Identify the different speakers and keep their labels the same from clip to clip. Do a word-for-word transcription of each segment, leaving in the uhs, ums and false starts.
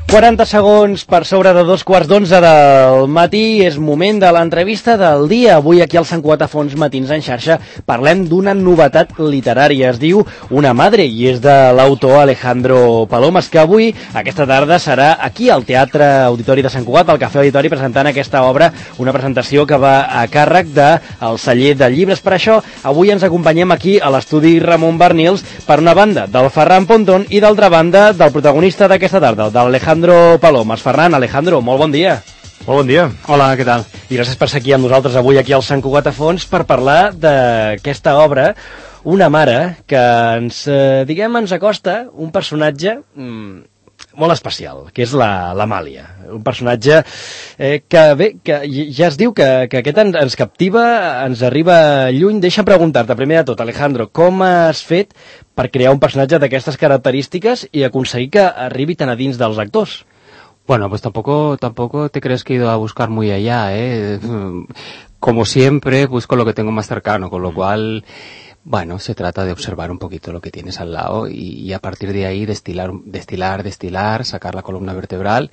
Speaker 1: quaranta segons per sobre de dos quarts d'onze del matí, és moment de l'entrevista del dia. Avui aquí al Sant Cugat a Fons Matins en xarxa parlem d'una novetat literària. Es diu Una madre i és de l'autor Alejandro Palomas, que avui, aquesta tarda, serà aquí al Teatre Auditori de Sant Cugat, al Cafè Auditori, presentant aquesta obra, una presentació que va a càrrec del celler de llibres. Per això, avui ens acompanyem aquí a l'estudi Ramon Barnils, per una banda del Ferran Pontón i d'altra banda del protagonista d'aquesta tarda, del Alejandro Palomas. Ferran, Alejandro, molt bon dia.
Speaker 2: Molt bon dia.
Speaker 3: Hola, què tal?
Speaker 1: I gràcies per ser aquí amb nosaltres avui aquí al Sant Cugat a Fons per parlar d'aquesta obra, Una mare, que ens, eh, diguem, ens acosta un personatge mm, molt especial, que és la l'Amàlia. Un personatge eh, que, bé, que ja es diu que, que aquest ens, ens captiva, ens arriba lluny. Deixa preguntar-te, primer de tot, Alejandro, com has fet per crear un personatge d'aquestes característiques i aconseguir que arribi tan a dins dels actors?
Speaker 3: Bueno, pues tampoco, tampoco te crees que he ido a buscar muy allá, ¿eh? Como siempre, busco lo que tengo más cercano, con lo cual, bueno, se trata de observar un poquito lo que tienes al lado y, y a partir de ahí destilar, destilar, destilar, sacar la columna vertebral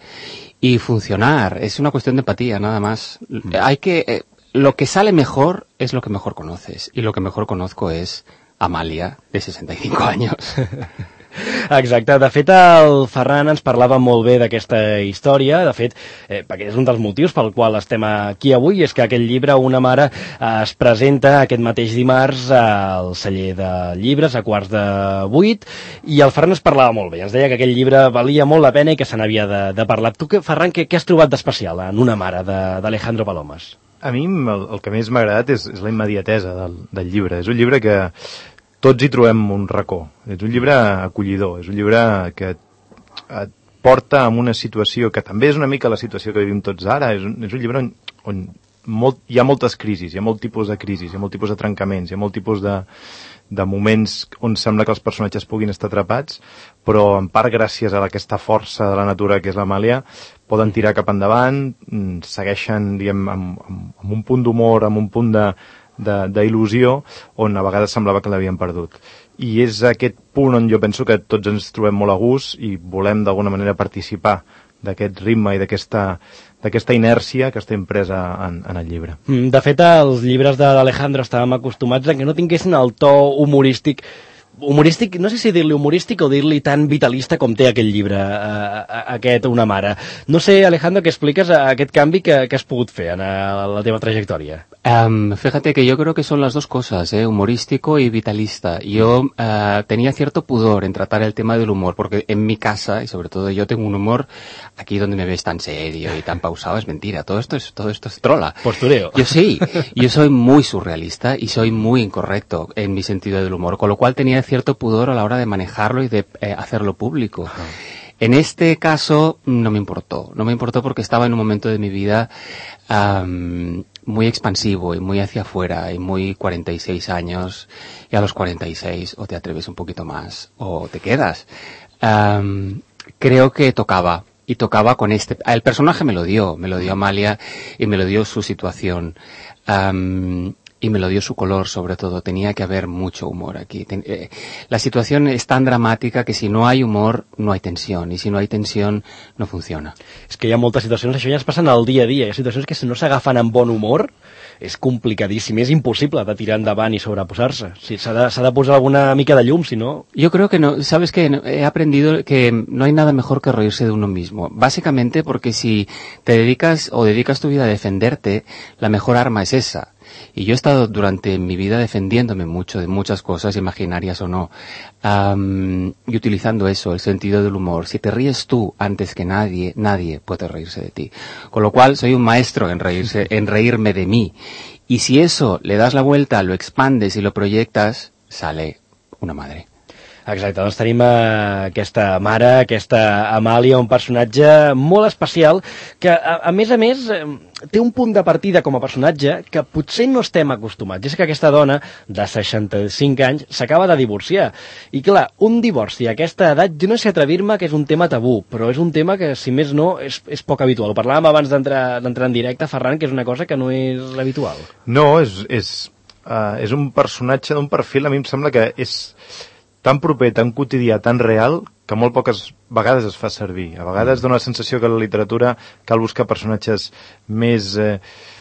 Speaker 3: y funcionar. Es una cuestión de empatía, nada más. Mm. Hay que, eh, lo que sale mejor es lo que mejor conoces, y lo que mejor conozco es Amàlia, de seixanta i cinc anys.
Speaker 1: Exacte, de fet el Ferran ens parlava molt bé d'aquesta història, de fet, eh, perquè és un dels motius pel qual estem aquí avui, és que aquest llibre, Una mare, eh, es presenta aquest mateix dimarts al celler de llibres a quarts de vuit, i el Ferran ens parlava molt bé, ens deia que aquest llibre valia molt la pena i que se n'havia de, de parlar. Tu, Ferran, què, què has trobat d'especial en Una mare, d'Alejandro Palomas?
Speaker 2: A mi el, el que més m'ha agradat és, és la immediatesa del, del llibre. És un llibre que tots hi trobem un racó. És un llibre acollidor, és un llibre que et porta en una situació que també és una mica la situació que vivim tots ara. És un, és un llibre on, on molt, hi ha moltes crisis, hi ha molt tipus de crisis, hi ha molt tipus de trencaments, hi ha molt tipus de, de moments on sembla que els personatges puguin estar atrapats, però en part gràcies a aquesta força de la natura que és l'Amàlia poden tirar cap endavant, segueixen, diguem, amb, amb, amb un punt d'humor, amb un punt de d'il·lusió on a vegades semblava que l'havien perdut. I és aquest punt on jo penso que tots ens trobem molt a gust i volem d'alguna manera participar d'aquest ritme i d'aquesta d'aquesta inèrcia que està impresa en, en el llibre.
Speaker 1: De fet, els llibres de l'Alejandro estàvem acostumats a que no tinguessin el to humorístic humorístic, no sé si dir-li humorístic o dir-li tan vitalista com té aquest llibre, eh, aquest Una mare. No sé, Alejandro, què expliques a aquest canvi que, que has pogut fer en la teva trayectòria?
Speaker 3: Um, fíjate que yo creo que son las dos cosas, ¿eh? Humorístico y vitalista. Yo uh, tenía cierto pudor en tratar el tema del humor, porque en mi casa, y sobre todo yo tengo un humor, aquí donde me ves tan serio y tan pausado, es mentira, todo esto es, todo esto es trola.
Speaker 1: Postureo.
Speaker 3: Yo sí, yo soy muy surrealista y soy muy incorrecto en mi sentido del humor, con lo cual tenía cierto pudor a la hora de manejarlo y de eh, hacerlo público. En este caso no me importó, no me importó porque estaba en un momento de mi vida um, muy expansivo y muy hacia afuera y muy cuarenta y seis años, y a los cuarenta y seis o te atreves un poquito más o te quedas. Um, creo que tocaba, y tocaba con este, el personaje me lo dio, me lo dio Amàlia y me lo dio su situación. Um, Y me lo dio su color, sobre todo. Tenía que haber mucho humor aquí. Ten, eh, la situación es tan dramática que si no hay humor, no hay tensión. Y si no hay tensión, no funciona.
Speaker 1: És que hi ha moltes situacions, això ja es passen al dia a dia. Hi ha situacions que si no s'agafen amb bon humor, és complicadíssim, és impossible de tirar endavant i sobreposar-se. Sí, s'ha de, s'ha de posar alguna mica de llum, si no...
Speaker 3: Yo creo que no, sabes que he aprendido que no hay nada mejor que reírse de uno mismo. Básicamente porque si te dedicas o dedicas tu vida a defenderte, la mejor arma es esa. Y yo he estado durante mi vida defendiéndome mucho de muchas cosas, imaginarias o no, um, y utilizando eso, el sentido del humor. Si te ríes tú antes que nadie, nadie puede reírse de ti. Con lo cual, soy un maestro en reírse, en reírme de mí. Y si eso le das la vuelta, lo expandes y lo proyectas, sale Una madre.
Speaker 1: Exacte, doncs tenim uh, aquesta mare, aquesta Amàlia, un personatge molt especial que, a, a més a més, eh, té un punt de partida com a personatge que potser no estem acostumats. És que aquesta dona de seixanta-cinc anys s'acaba de divorciar. I clar, un divorci a aquesta edat, jo no sé atrevir-me que és un tema tabú, però és un tema que, si més no, és, és poc habitual. Ho parlàvem abans d'entrar d'entrar en directe, Ferran, que és una cosa que no és habitual.
Speaker 2: No, és, és, uh, és un personatge d'un perfil, a mi em sembla que és tan proper, tan quotidià, tan real, que molt poques a vegades es fa servir. A vegades dona la sensació que la literatura cal buscar personatges més eh,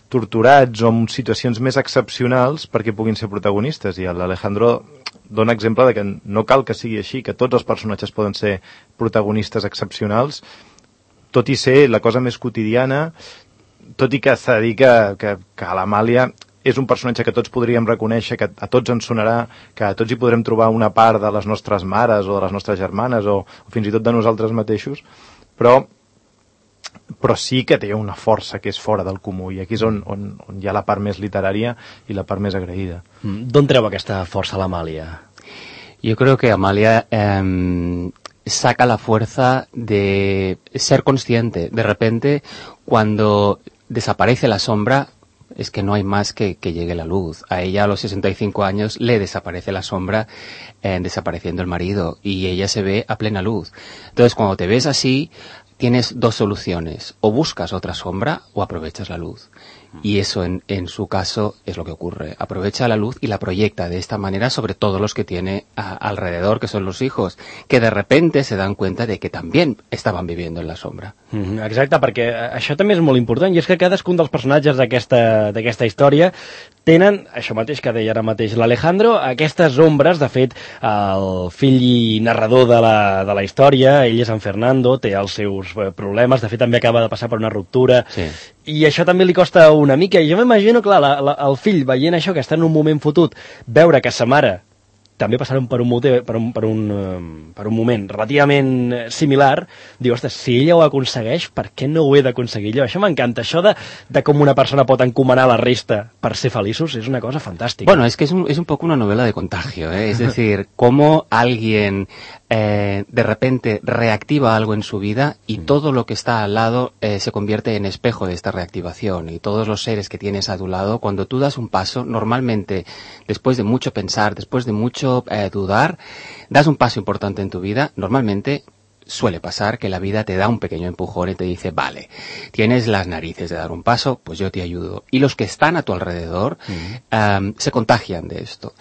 Speaker 2: torturats o en situacions més excepcionals perquè puguin ser protagonistes. I l'Alejandro dona exemple de que no cal que sigui així, que tots els personatges poden ser protagonistes excepcionals, tot i ser la cosa més quotidiana, tot i que s'ha de dir que, que, que l'Amàlia és un personatge que tots podríem reconèixer, que a tots ens sonarà, que a tots hi podrem trobar una part de les nostres mares o de les nostres germanes o, o fins i tot de nosaltres mateixos, però, però sí que té una força que és fora del comú i aquí és on, on, on hi ha la part més literària i la part més agraïda.
Speaker 1: Mm, d'on treu aquesta força l'Amàlia?
Speaker 3: Yo creo que Amalia eh, saca la fuerza de ser consciente. De repente, cuando desaparece la sombra, es que no hay más que, que llegue la luz. A ella a los sesenta y cinco años le desaparece la sombra, eh, desapareciendo el marido, y ella se ve a plena luz. Entonces, cuando te ves así, tienes dos soluciones: o buscas otra sombra o aprovechas la luz. Y eso en, en su caso es lo que ocurre. Aprovecha la luz y la proyecta de esta manera sobre todos los que tiene a, alrededor, que son los hijos, que de repente se dan cuenta de que también estaban viviendo en la sombra.
Speaker 1: Mm, exacte, perquè això també és molt important, i és que cadascun dels personatges d'aquesta d'aquesta història tenen, això mateix que deia ara mateix l'Alejandro, aquestes ombres. De fet, el fill i narrador de la, de la història, ell és en Fernando, té els seus problemes, de fet també acaba de passar per una ruptura, sí. I això també li costa una mica, i jo m'imagino, clar, la, la, el fill veient això, que està en un moment fotut, veure que sa mare també passaron per un, per un, per un, per un moment relativament similar, diu, ostres, si ella ho aconsegueix, per què no ho he d'aconseguir jo? Això m'encanta, això de, de com una persona pot encomanar la resta per ser feliços, és una cosa fantàstica.
Speaker 3: Bueno, es que es un, es un poco una novela de contagio, ¿eh? Es decir, cómo alguien eh, de repente reactiva algo en su vida y todo lo que está al lado eh, se convierte en espejo de esta reactivación, y todos los seres que tienes a tu lado, cuando tú das un paso, normalmente, después de mucho pensar, después de mucho Eh, dudar, das un paso importante en tu vida, normalmente suele pasar que la vida te da un pequeño empujón y te dice, vale, tienes las narices de dar un paso, pues yo te ayudo. Y los que están a tu alrededor uh-huh. um, se contagian de esto.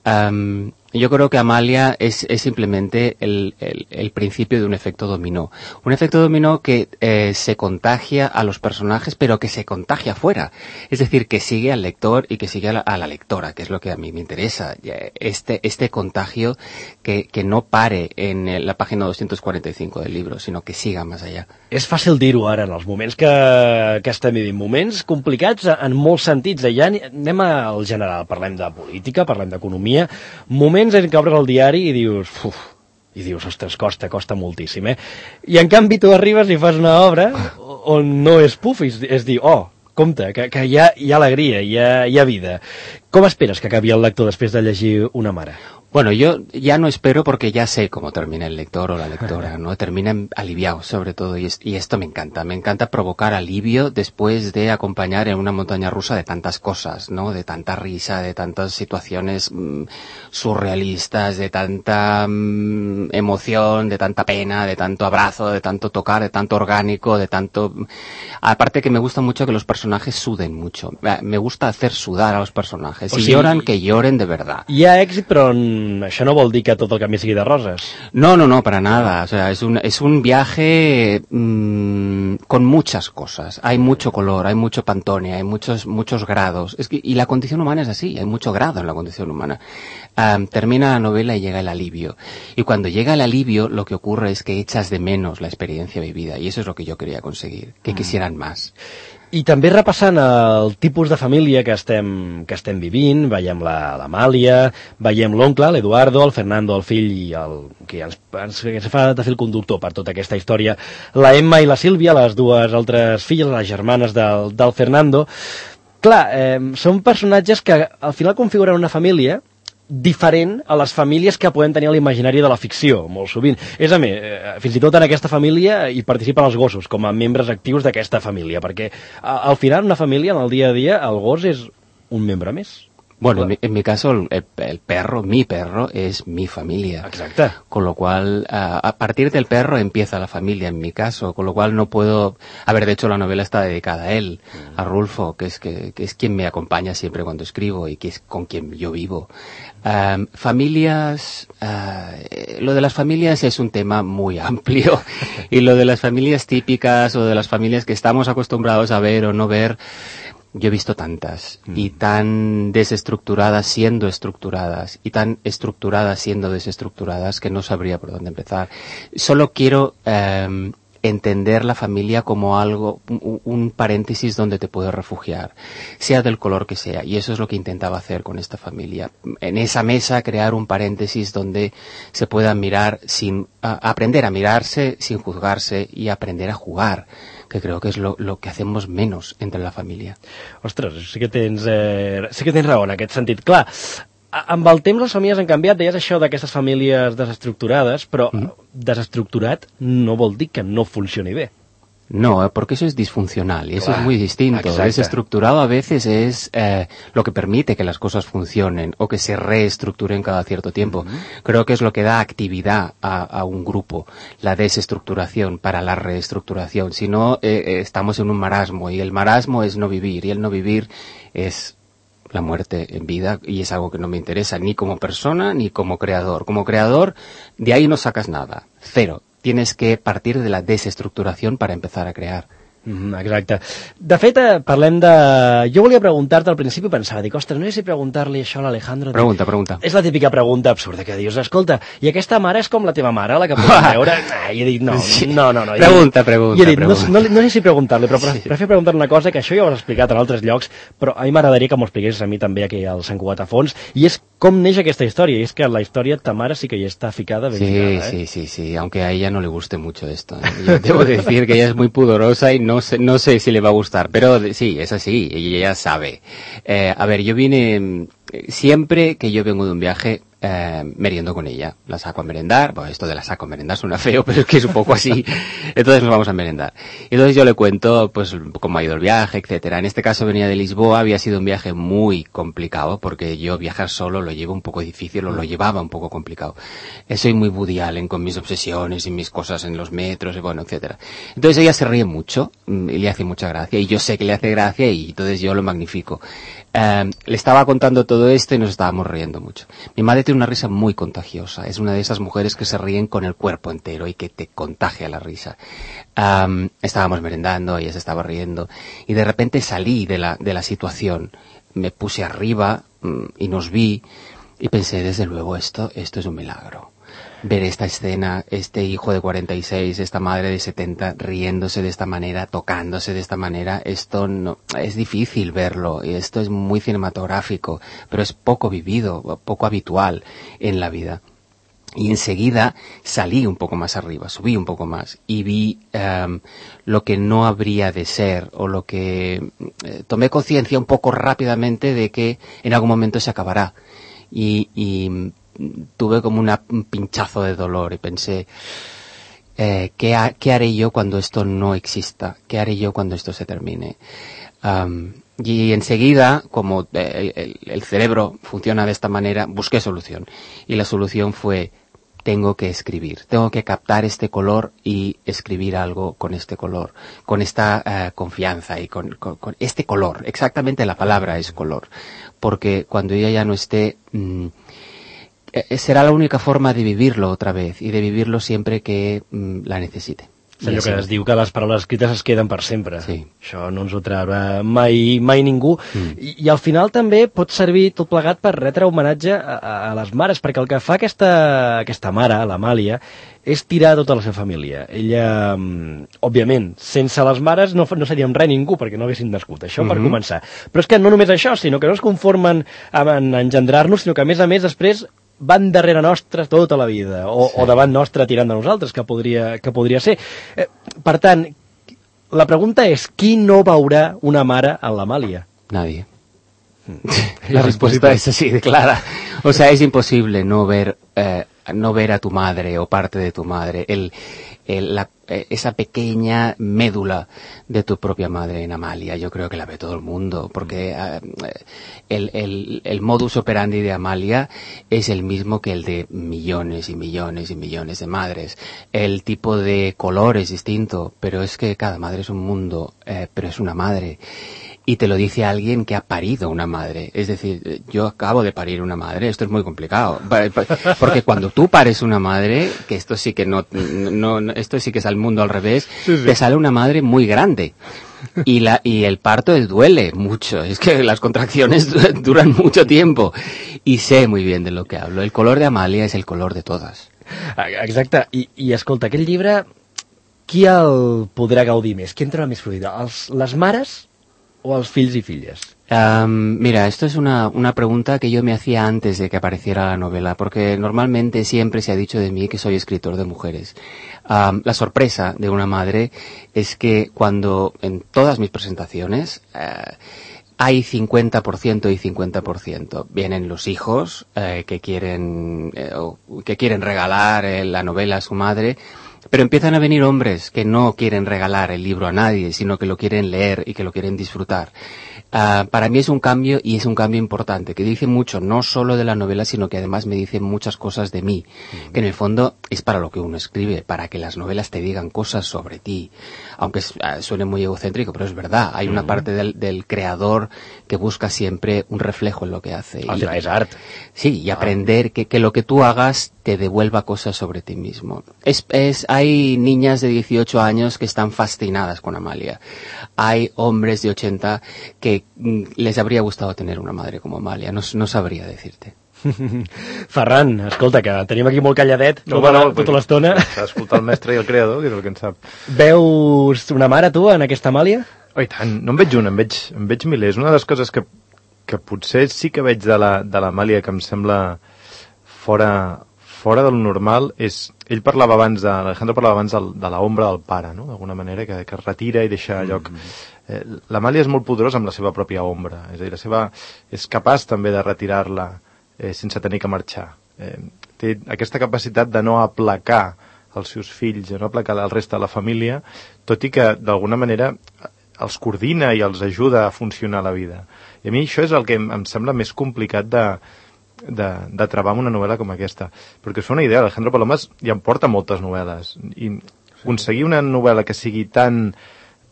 Speaker 3: Um, yo creo que Amalia es, es simplemente el, el, el principio de un efecto dominó. Un efecto dominó que eh, se contagia a los personajes, pero que se contagia afuera. Es decir, que sigue al lector y que sigue a la, a la lectora, que es lo que a mí me interesa. Este, este contagio que, que no pare en la página doscientos cuarenta y cinco del libro, sino que siga más allá.
Speaker 1: És fàcil dir-ho ara, en els moments que, que estem vivint. Moments complicats en molts sentits. Ja anem al general, parlem de política, parlem d'economia, moments en què obres el diari i dius, uf, i dius, ostres, costa, costa moltíssim, eh? I en canvi tu arribes i fas una obra on no és puf, és, és dir, oh, compte, que, que hi ha, hi ha alegria, hi ha, hi ha vida. Com esperes que acabi el lector després de llegir Una mare?
Speaker 3: Bueno, yo ya no espero porque ya sé cómo termina el lector o la lectora, ¿no? Terminan aliviados, sobre todo, y, es, y esto me encanta. Me encanta provocar alivio después de acompañar en una montaña rusa de tantas cosas, ¿no? De tanta risa, de tantas situaciones mmm, surrealistas, de tanta mmm, emoción, de tanta pena, de tanto abrazo, de tanto tocar, de tanto orgánico, de tanto... Aparte que me gusta mucho que los personajes suden mucho. Me gusta hacer sudar a los personajes. Si o sigui, lloran, que lloren de verdad.
Speaker 1: Hi ha èxit, però això no vol dir que tot el camí sigui de roses.
Speaker 3: No, no, no, para nada. O sea, es un, es un viaje mmm, con muchas cosas. Hay mucho color, hay mucho Pantone, hay muchos, muchos grados. Es que, y la condición humana es así, hay mucho grado en la condición humana. Um, termina la novela y llega el alivio. Y cuando llega el alivio, lo que ocurre es que echas de menos la experiencia vivida. Y eso es lo que yo quería conseguir, que mm. quisieran más.
Speaker 1: I també repassant el tipus de família que estem, que estem vivint, veiem l'Amàlia, veiem l'oncle, l'Eduardo, el Fernando, el fill, i el que ens, ens, ens fa de fil conductor per tota aquesta història, la Emma i la Sílvia, les dues altres filles, les germanes del, del Fernando. Clar, eh, són personatges que al final configuren una família diferent a les famílies que podem tenir a l'imaginari de la ficció, molt sovint. És a més, fins i tot en aquesta família hi participen els gossos, com a membres actius d'aquesta família, perquè al final una família, en el dia a dia, el gos és un membre més.
Speaker 3: Bueno, en mi, en mi caso, el, el perro, mi perro, es mi familia.
Speaker 1: Exacte.
Speaker 3: Con lo cual, a, a partir del perro empieza la familia, en mi caso. Con lo cual no puedo... A ver, de hecho, la novela está dedicada a él, mm. a Rulfo, que es, que, que es quien me acompaña siempre cuando escribo y que es con quien yo vivo. Um, familias... Uh, lo de las familias es un tema muy amplio. Y lo de las familias típicas o de las familias que estamos acostumbrados a ver o no ver... Yo he visto tantas, mm. y tan desestructuradas siendo estructuradas, y tan estructuradas siendo desestructuradas, que no sabría por dónde empezar. Solo quiero eh, entender la familia como algo, un, un paréntesis donde te puedes refugiar, sea del color que sea, y eso es lo que intentaba hacer con esta familia. En esa mesa crear un paréntesis donde se pueda mirar sin, a, aprender a mirarse sin juzgarse y aprender a jugar, que creo que és lo, lo que hacemos menos entre la família.
Speaker 1: Ostres, sí que tens, eh, sí que tens raó en aquest sentit. Clar, amb el temps les famílies han canviat, deies això d'aquestes famílies desestructurades, però mm. desestructurat no vol dir que no funcioni bé.
Speaker 3: No, porque eso es disfuncional y eso
Speaker 1: Claro,
Speaker 3: es muy distinto.
Speaker 1: exacto.
Speaker 3: Desestructurado a veces es eh, lo que permite que las cosas funcionen o que se reestructuren cada cierto tiempo. Uh-huh. Creo que es lo que da actividad a, a un grupo, la desestructuración para la reestructuración. Si no, eh, estamos en un marasmo y el marasmo es no vivir y el no vivir es la muerte en vida y es algo que no me interesa ni como persona ni como creador. Como creador, de ahí no sacas nada, cero. Tienes que partir de la desestructuración para empezar a crear.
Speaker 1: Mm, exacte. De fet, eh, parlem de... Jo volia preguntar-te al principi, pensava, dic, ostres, no sé si preguntar-li això a l'Alejandro.
Speaker 3: Pregunta, pregunta.
Speaker 1: És la típica pregunta absurda que dius, escolta, i aquesta mare és com la teva mare, la que podem veure? Ah, I he dit, no, no, no. no.
Speaker 3: Pregunta, pregunta,
Speaker 1: I he dit,
Speaker 3: pregunta.
Speaker 1: No, no, no sé si preguntar-li, però
Speaker 3: Sí.
Speaker 1: prefiero preguntar una cosa, que això ja ho has explicat en altres llocs, però a mi m'agradaria que m'ho expliquessis a mi també aquí al Sant Cugat a Fons, i és com neix aquesta història, i és que la història ta mare sí que hi està ficada ben
Speaker 3: Sí,
Speaker 1: ficada, eh?
Speaker 3: sí, sí, sí, aunque a ella no le guste mucho esto. ¿eh? Yo debo decir que ella es muy pudorosa y no sé, no sé si le va a gustar, pero sí, es así, y ella sabe. Eh, a ver, yo vine, siempre que yo vengo de un viaje, eh, meriendo con ella, la saco a merendar, bueno, esto de la saco a merendar suena feo, pero es que es un poco así, entonces nos vamos a merendar. Y entonces yo le cuento, pues, cómo ha ido el viaje, etcétera. En este caso venía de Lisboa, había sido un viaje muy complicado, porque yo viajar solo lo llevo un poco difícil, o lo llevaba un poco complicado. Eh, soy muy Woody Allen con mis obsesiones y mis cosas en los metros, y bueno, etcétera. Entonces ella se ríe mucho, y le hace mucha gracia, y yo sé que le hace gracia, y entonces yo lo magnifico. Eh, le estaba contando todo esto y nos estábamos riendo mucho. Mi madre tiene una risa muy contagiosa, es una de esas mujeres que se ríen con el cuerpo entero y que te contagia la risa. Um, estábamos merendando, ella se estaba riendo y de repente salí de la, de la situación, me puse arriba um, y nos vi y pensé, desde luego esto, esto es un milagro. Ver esta escena, este hijo de cuarenta y seis, esta madre de setenta, riéndose de esta manera, tocándose de esta manera, esto no, es difícil verlo, y esto es muy cinematográfico, pero es poco vivido, poco habitual en la vida. Y enseguida salí un poco más arriba, subí un poco más, y vi um, lo que no habría de ser, o lo que eh, tomé conciencia un poco rápidamente de que en algún momento se acabará. Y, y tuve como una, un pinchazo de dolor y pensé, eh, ¿qué, ha, ¿qué haré yo cuando esto no exista? ¿Qué haré yo cuando esto se termine? Um, y enseguida, como eh, el, el cerebro funciona de esta manera, busqué solución. Y la solución fue, tengo que escribir, tengo que captar este color y escribir algo con este color, con esta uh, confianza y con, con, con este color. Exactamente la palabra es color. Porque cuando ella ya no esté... Mmm, será la única forma de vivirlo otra vez y de vivirlo siempre que mm, la necesite.
Speaker 1: És allò que es diu que les paraules escrites es queden per sempre.
Speaker 3: Sí.
Speaker 1: Això no ens ho traurà mai, mai ningú. Mm. I, I al final també pot servir tot plegat per retre homenatge a, a les mares, perquè el que fa aquesta, aquesta mare, l'Amàlia, és tirar tota la seva família. Ella, òbviament, sense les mares no, no seríem res ningú, perquè no haguessin nascut. Això mm-hmm. per començar. Però és que no només això, sinó que no es conformen en engendrar-nos, sinó que a més a més després van darrere nostre tota la vida, o, sí. o davant nostre tirant de nosaltres, que podria, que podria ser. Eh, per tant, la pregunta és, qui no veurà una mare en l'Amàlia?
Speaker 3: Nadie. La respuesta es así de clara. O sea, es imposible no ver, eh, no ver a tu madre o parte de tu madre. El, el, la, eh, esa pequeña médula de tu propia madre en Amalia. Yo creo que la ve todo el mundo, porque eh, el, el, el modus operandi de Amalia es el mismo que el de millones y millones y millones de madres. El tipo de color es distinto, pero es que cada madre es un mundo, eh, pero es una madre. Y te lo dice alguien que ha parido una madre. Es decir, yo acabo de parir una madre, esto es muy complicado. Porque cuando tú pares una madre, que esto sí que no, no esto sí que es al mundo al revés, sí, sí. Te sale una madre muy grande. Y la y el parto duele mucho. Es que las contracciones duran mucho tiempo. Y sé muy bien de lo que hablo. El color de Amalia es el color de todas.
Speaker 1: Exacte. I, i escolta, aquest llibre, qui el podrà gaudir més? Qui entrarà més fluida? Els, les mares o els fills i filles?
Speaker 3: Um, mira, esto es una, una pregunta que yo me hacía antes de que apareciera la novela, porque normalmente siempre se ha dicho de mí que soy escritor de mujeres. Um, la sorpresa de una madre es que cuando en todas mis presentaciones uh, hay cincuenta por ciento y cincuenta por ciento. Vienen los hijos eh, que quieren eh, que quieren regalar eh, la novela a su madre, pero empiezan a venir hombres que no quieren regalar el libro a nadie, sino que lo quieren leer y que lo quieren disfrutar. Uh, para mí es un cambio, y es un cambio importante, que dice mucho, no solo de la novela, sino que además me dice muchas cosas de mí, uh-huh. que en el fondo es para lo que uno escribe, para que las novelas te digan cosas sobre ti. Aunque es, uh, suene muy egocéntrico, pero es verdad, hay uh-huh. una parte del, del creador que busca siempre un reflejo en lo que hace.
Speaker 1: O sea, es arte.
Speaker 3: Sí, y aprender que, que lo que tú hagas te devuelva cosas sobre ti mismo. Es, es, hay niñas de dieciocho años que están fascinadas con Amalia. Hay hombres de ochenta que les habría gustado tener una madre como Amalia. No, no sabría decirte.
Speaker 1: Ferran, escolta, que tenim aquí molt calladet
Speaker 2: no,
Speaker 1: tota,
Speaker 2: no,
Speaker 1: tota l'estona.
Speaker 2: S'ha d'escoltar el mestre i el creador, que és el que en sap.
Speaker 1: Veus una mare, tu, en aquesta Amàlia?
Speaker 2: Oh, i tant, no en veig una, en veig, en veig milers. Una de les coses que, que potser sí que veig de la, de l'Amàlia que em sembla fora, fora del normal és... Ell parlava abans, de, Alejandro parlava abans de, de l'ombra del pare, no? D'alguna manera, que, que es retira i deixa lloc. Mm-hmm. Eh, L'Amàlia és molt poderosa amb la seva pròpia ombra, és a dir, la seva, és capaç també de retirar-la eh, sense tenir que marxar. Eh, té aquesta capacitat de no aplacar els seus fills, de no aplacar el reste de la família, tot i que d'alguna manera els coordina i els ajuda a funcionar la vida. I a mi això és el que em, em sembla més complicat de de, de treballar amb una novel·la com aquesta, perquè us fa una idea, Alejandro Palomas ja em porta moltes novel·les i aconseguir una novel·la que sigui tan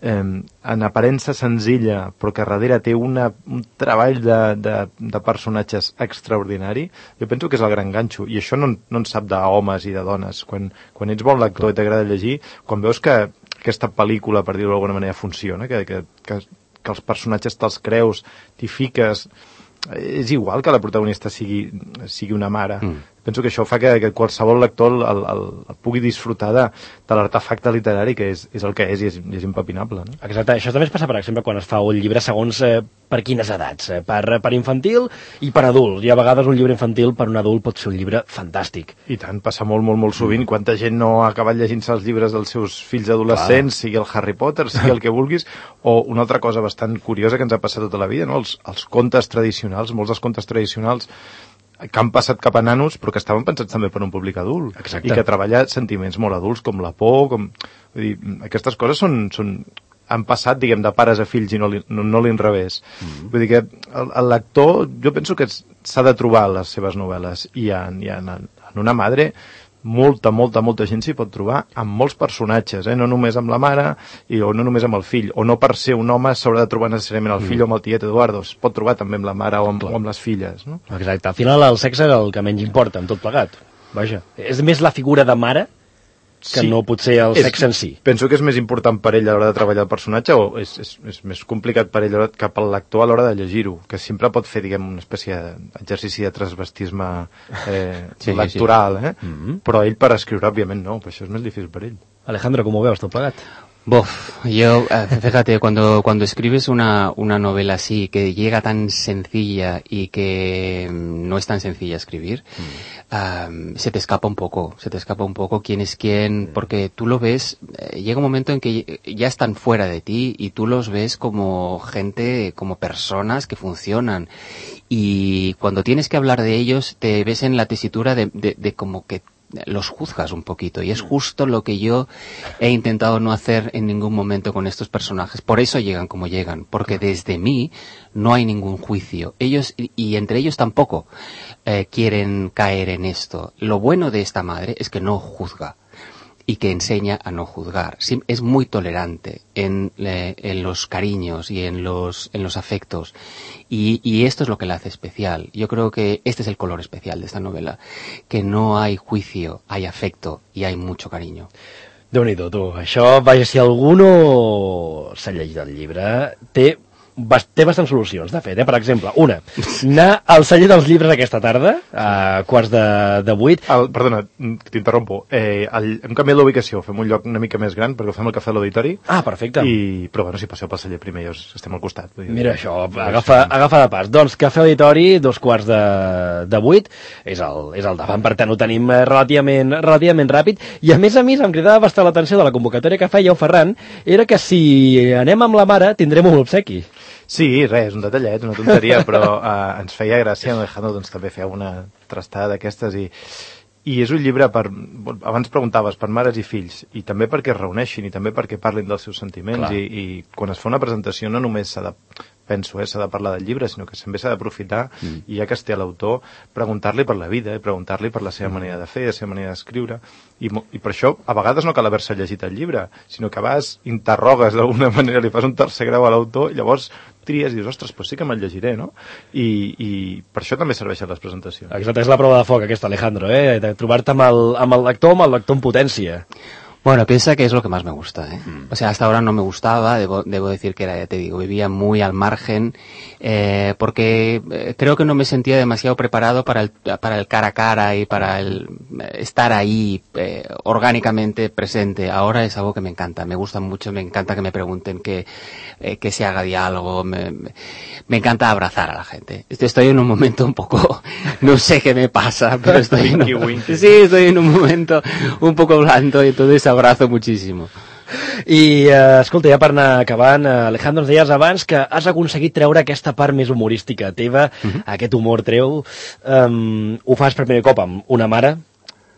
Speaker 2: eh, en aparença senzilla però que darrere té una, un treball de, de, de personatges extraordinari, jo penso que és el gran ganxo, i això no, no en sap d'homes i de dones. Quan, quan ets bon lector i t'agrada llegir, quan veus que aquesta pel·lícula, per dir-ho d'alguna manera, funciona, que, que, que, que els personatges te'ls creus, t'hi fiques, és igual que la protagonista sigui, sigui una mare. Mm. Penso que això fa que, que qualsevol lector el, el, el pugui disfrutar de, de l'artefacte literari, que és, és el que és i és, i és impepinable. No?
Speaker 1: Exacte, això també es passa, per exemple, quan es fa un llibre segons eh, per quines edats, eh, per, per infantil i per adult. I a vegades un llibre infantil per un adult pot ser un llibre fantàstic.
Speaker 2: I tant, passa molt, molt, molt sovint. Mm. Quanta gent no ha acabat llegint-se els llibres dels seus fills adolescents, Clar. sigui el Harry Potter, sigui el que vulguis, o una altra cosa bastant curiosa que ens ha passat tota la vida, no? els, els contes tradicionals, molts dels contes tradicionals que han passat cap a nanos, però que estaven pensats també per un públic adult.
Speaker 1: Exacte.
Speaker 2: I que treballa sentiments molt adults, com la por, com... Vull dir, aquestes coses són, són... han passat, diguem, de pares a fills i no, li, no, no l'inrevés. Mm-hmm. Vull dir que el, el lector, jo penso que s'ha de trobar les seves novel·les, i en, i en, en una madre molta, molta, molta gent s'hi pot trobar amb molts personatges, eh? No només amb la mare i, o no només amb el fill, o no per ser un home s'haurà de trobar necessàriament el fill mm. o amb el tiet Eduardo, es pot trobar també amb la mare o amb, o amb les filles, no?
Speaker 1: Exacte, al final el sexe és el que menys importa en tot plegat, vaja, és més la figura de mare que sí. no potser el és, sexe en si.
Speaker 2: Penso que és més important per ell a l'hora de treballar el personatge, o és, és, és més complicat per ell que pel lector a l'hora de llegir-ho, que sempre pot fer, diguem, una espècie d'exercici de transvestisme eh, sí, lectoral, sí. eh? Mm-hmm. Però ell per escriure, òbviament, no, per això és més difícil per ell.
Speaker 1: Alejandro, ¿cómo veus tot plegat?
Speaker 3: Bof, yo, fíjate, cuando, cuando escribes una, una novela así, que llega tan sencilla y que no es tan sencilla escribir, mm. um, se te escapa un poco, se te escapa un poco quién es quién, mm. porque tú lo ves, eh, llega un momento en que ya están fuera de ti y tú los ves como gente, como personas que funcionan. Y cuando tienes que hablar de ellos, te ves en la tesitura de, de, de como que los juzgas un poquito. Y es justo lo que yo he intentado no hacer en ningún momento con estos personajes. Por eso llegan como llegan, porque desde mí no hay ningún juicio. Ellos, y, y entre ellos tampoco, eh, quieren caer en esto. Lo bueno de esta madre es que no juzga y que enseña a no juzgar. Es muy tolerante en, eh, en los cariños y en los, en los afectos. Y, y esto es lo que la hace especial. Yo creo que este es el color especial de esta novela, que no hay juicio, hay afecto y hay mucho cariño.
Speaker 1: Déu-n'hi-do, tu. Això, vaja, si algú no s'ha llegit el llibre, té té bastants solucions, de fet, eh? Per exemple, una, anar al celler dels llibres aquesta tarda, a quarts de, de vuit.
Speaker 2: El, perdona, t'interrompo. Eh, el, hem canviat l'ubicació, fem un lloc una mica més gran, perquè ho fem al Cafè a l'Auditori.
Speaker 1: Ah, perfecte.
Speaker 2: I, però bueno, si passeu pel celler primer, ja estem al costat.
Speaker 1: Mira això, agafa, agafa de pas. Doncs Cafè Auditori, dos quarts de, de vuit, és el, és el davant, per tant ho tenim relativament, relativament ràpid, i a més a més em cridava bastant l'atenció de la convocatòria que feia el Ferran, era que si anem amb la mare tindrem un obsequi.
Speaker 2: Sí, res, un detallet, una tonteria, però eh, ens feia gràcia, Alejandro doncs, també feia una trastada d'aquestes i, i és un llibre per, abans preguntaves, per mares i fills, i també perquè es reuneixin i també perquè parlin dels seus sentiments i, i quan es fa una presentació no només s'ha de, penso, eh, s'ha de parlar del llibre, sinó que també s'ha d'aprofitar mm. i ja que es té l'autor, preguntar-li per la vida, eh, preguntar-li per la seva mm. manera de fer, la seva manera d'escriure, i, i per això a vegades no cal haver-se llegit el llibre, sinó que vas, interrogues d'alguna manera, li fas un tercer grau a l'autor, i llavors tries i dius, ostres, doncs sí que me'l llegiré, no? I, i per això també serveixen les presentacions.
Speaker 1: Exacte, és la prova de foc aquesta, Alejandro, eh? De trobar-te amb el, amb el lector, amb el lector en potència.
Speaker 3: Bueno, piensa que es lo que más me gusta, ¿eh? Mm. O sea, hasta ahora no me gustaba, debo, debo decir que era, ya te digo, vivía muy al margen, eh, porque eh, creo que no me sentía demasiado preparado para el, para el cara a cara y para el estar ahí eh, orgánicamente presente. Ahora es algo que me encanta, me gusta mucho, me encanta que me pregunten, que, eh, que se haga diálogo, me, me, me encanta abrazar a la gente. Estoy en un momento un poco, no sé qué me pasa, pero estoy en un, sí, estoy en un momento un poco blando y entonces abrazo muchísimo.
Speaker 1: I, eh, escolta, ja per anar acabant, eh, Alejandro, ens deies abans que has aconseguit treure aquesta part més humorística teva, uh-huh. aquest humor treu. Um, ho fas per primer cop amb una mare.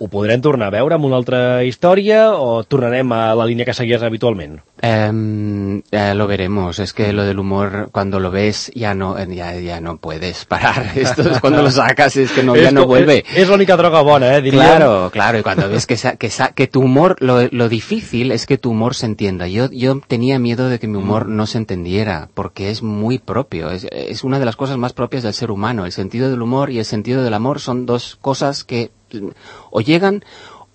Speaker 1: Ho podrem tornar a veure amb una altra història o tornarem a la línia que seguies habitualment?
Speaker 3: Eh, eh, lo veremos. Es que lo del humor, cuando lo ves, ya no, ya, ya no puedes parar. Esto es cuando lo sacas, es que no, ya no vuelve.
Speaker 1: Es, es la única droga buena, eh, diría.
Speaker 3: Claro, claro. Y cuando ves que, que, que tu humor, lo, lo difícil es que tu humor se entienda. Yo, yo tenía miedo de que mi humor no se entendiera, porque es muy propio. Es, es una de las cosas más propias del ser humano. El sentido del humor y el sentido del amor son dos cosas que o llegan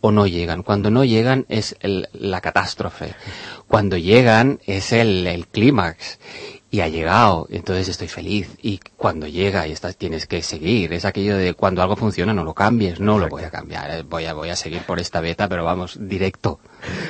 Speaker 3: o no llegan. Cuando no llegan es el, la catástrofe. Cuando llegan es el, el clímax. Y ha llegado, entonces estoy feliz. Y cuando llega y estás, tienes que seguir. Es aquello de cuando algo funciona no lo cambies. No Exacte. Lo voy a cambiar. Voy a, voy a seguir por esta beta, però vamos, directo.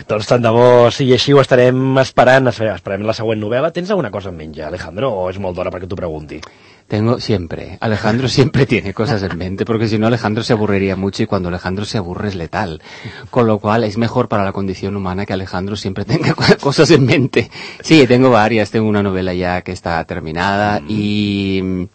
Speaker 1: Doncs tant de bo sigui així, ho estarem esperant. Esperem la següent novel·la. Tens alguna cosa en ment ja, Alejandro, o és molt d'hora perquè t'ho pregunti?
Speaker 3: Tengo siempre. Alejandro siempre tiene cosas en mente, porque si no Alejandro se aburriría mucho y cuando Alejandro se aburre es letal. Con lo cual es mejor para la condición humana que Alejandro siempre tenga cosas en mente. Sí, tengo varias. Tengo una novela ya que está terminada mm. y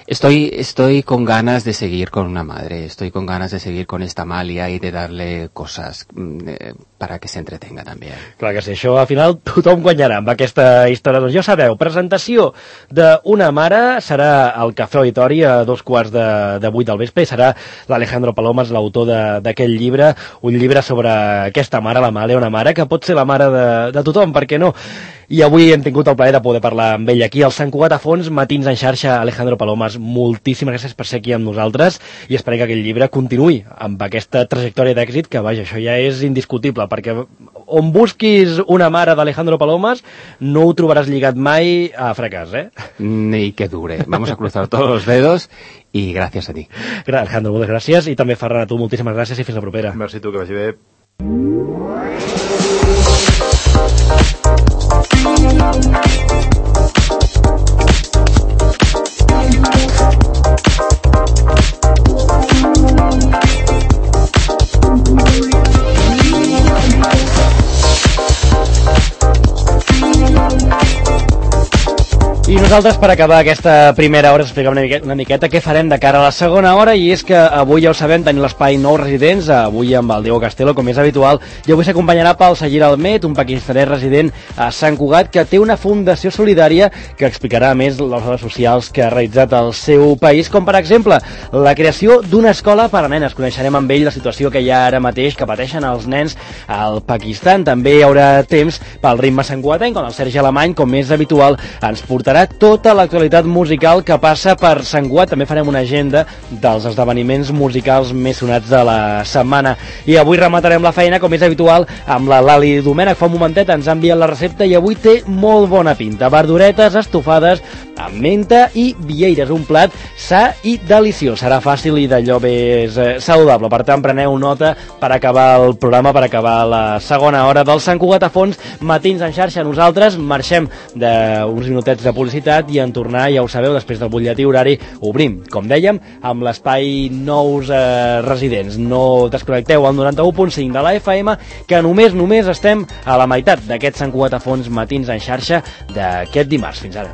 Speaker 3: estoy, estoy con ganas de seguir con una madre. Estoy con ganas de seguir con esta Amalia y de darle cosas eh, para que se entretenga també.
Speaker 1: Clar que sí, això al final tothom guanyarà amb aquesta història. Doncs ja sabeu, presentació d'una mare serà al Cafè Auditori a dos quarts de, de vuit del vespre i serà l'Alejandro Palomas, l'autor d'aquest llibre, un llibre sobre aquesta mare, la Amàlia, una mare que pot ser la mare de, de tothom, per què no? I avui hem tingut el plaer de poder parlar amb ell aquí al Sant Cugat a Fons, Matins en xarxa. Alejandro Palomas, moltíssimes gràcies per ser aquí amb nosaltres i esperem que aquest llibre continuï amb aquesta trajectòria d'èxit que, vaja, això ja és indiscutible, perquè on busquis una mare d'Alejandro Palomas no ho trobaràs lligat mai a fracàs, eh?
Speaker 3: Ni que dure. Vamos a cruzar todos los dedos y gracias a ti.
Speaker 1: Alejandro, moltes gràcies i també Ferran, a tu moltíssimes gràcies i fins la propera.
Speaker 2: Merci tu, que vagi bé.
Speaker 1: I nosaltres per acabar aquesta primera hora explicar una miqueta, una miqueta què farem de cara a la segona hora, i és que avui ja ho sabem, tenim l'espai Nou Residents, avui amb el Diego Castelo, com és habitual, i avui s'acompanyarà pel Sagir Almet, un pakistanès resident a Sant Cugat, que té una fundació solidària que explicarà més les obres socials que ha realitzat al seu país, com per exemple la creació d'una escola per a nenes. Coneixerem amb ell la situació que hi ha ara mateix que pateixen els nens al Pakistan. També hi haurà temps pel ritme santcugatenc, on el Sergi Alemany, com és habitual, ens portarà tota l'actualitat musical que passa per Sant Cugat. També farem una agenda dels esdeveniments musicals més sonats de la setmana. I avui rematarem la feina, com és habitual, amb la Lali Domènech. Fa un momentet ens ha enviat la recepta i avui té molt bona pinta. Verduretes estofades amb menta i vieires, un plat sa i deliciós. Serà fàcil i d'allò més eh, saludable. Per tant, preneu nota per acabar el programa, per acabar la segona hora del Sant Cugat a fons, Matins en xarxa. Nosaltres marxem d'uns minutets de publicitat i en tornar, ja ho sabeu, després del butlletí horari, obrim, com dèiem, amb l'espai Nous eh, Residents. No desconnecteu al noranta-u punt cinc de la F M, que només, només estem a la meitat d'aquest Sant Cugat a fons Matins en xarxa d'aquest dimarts. Fins ara.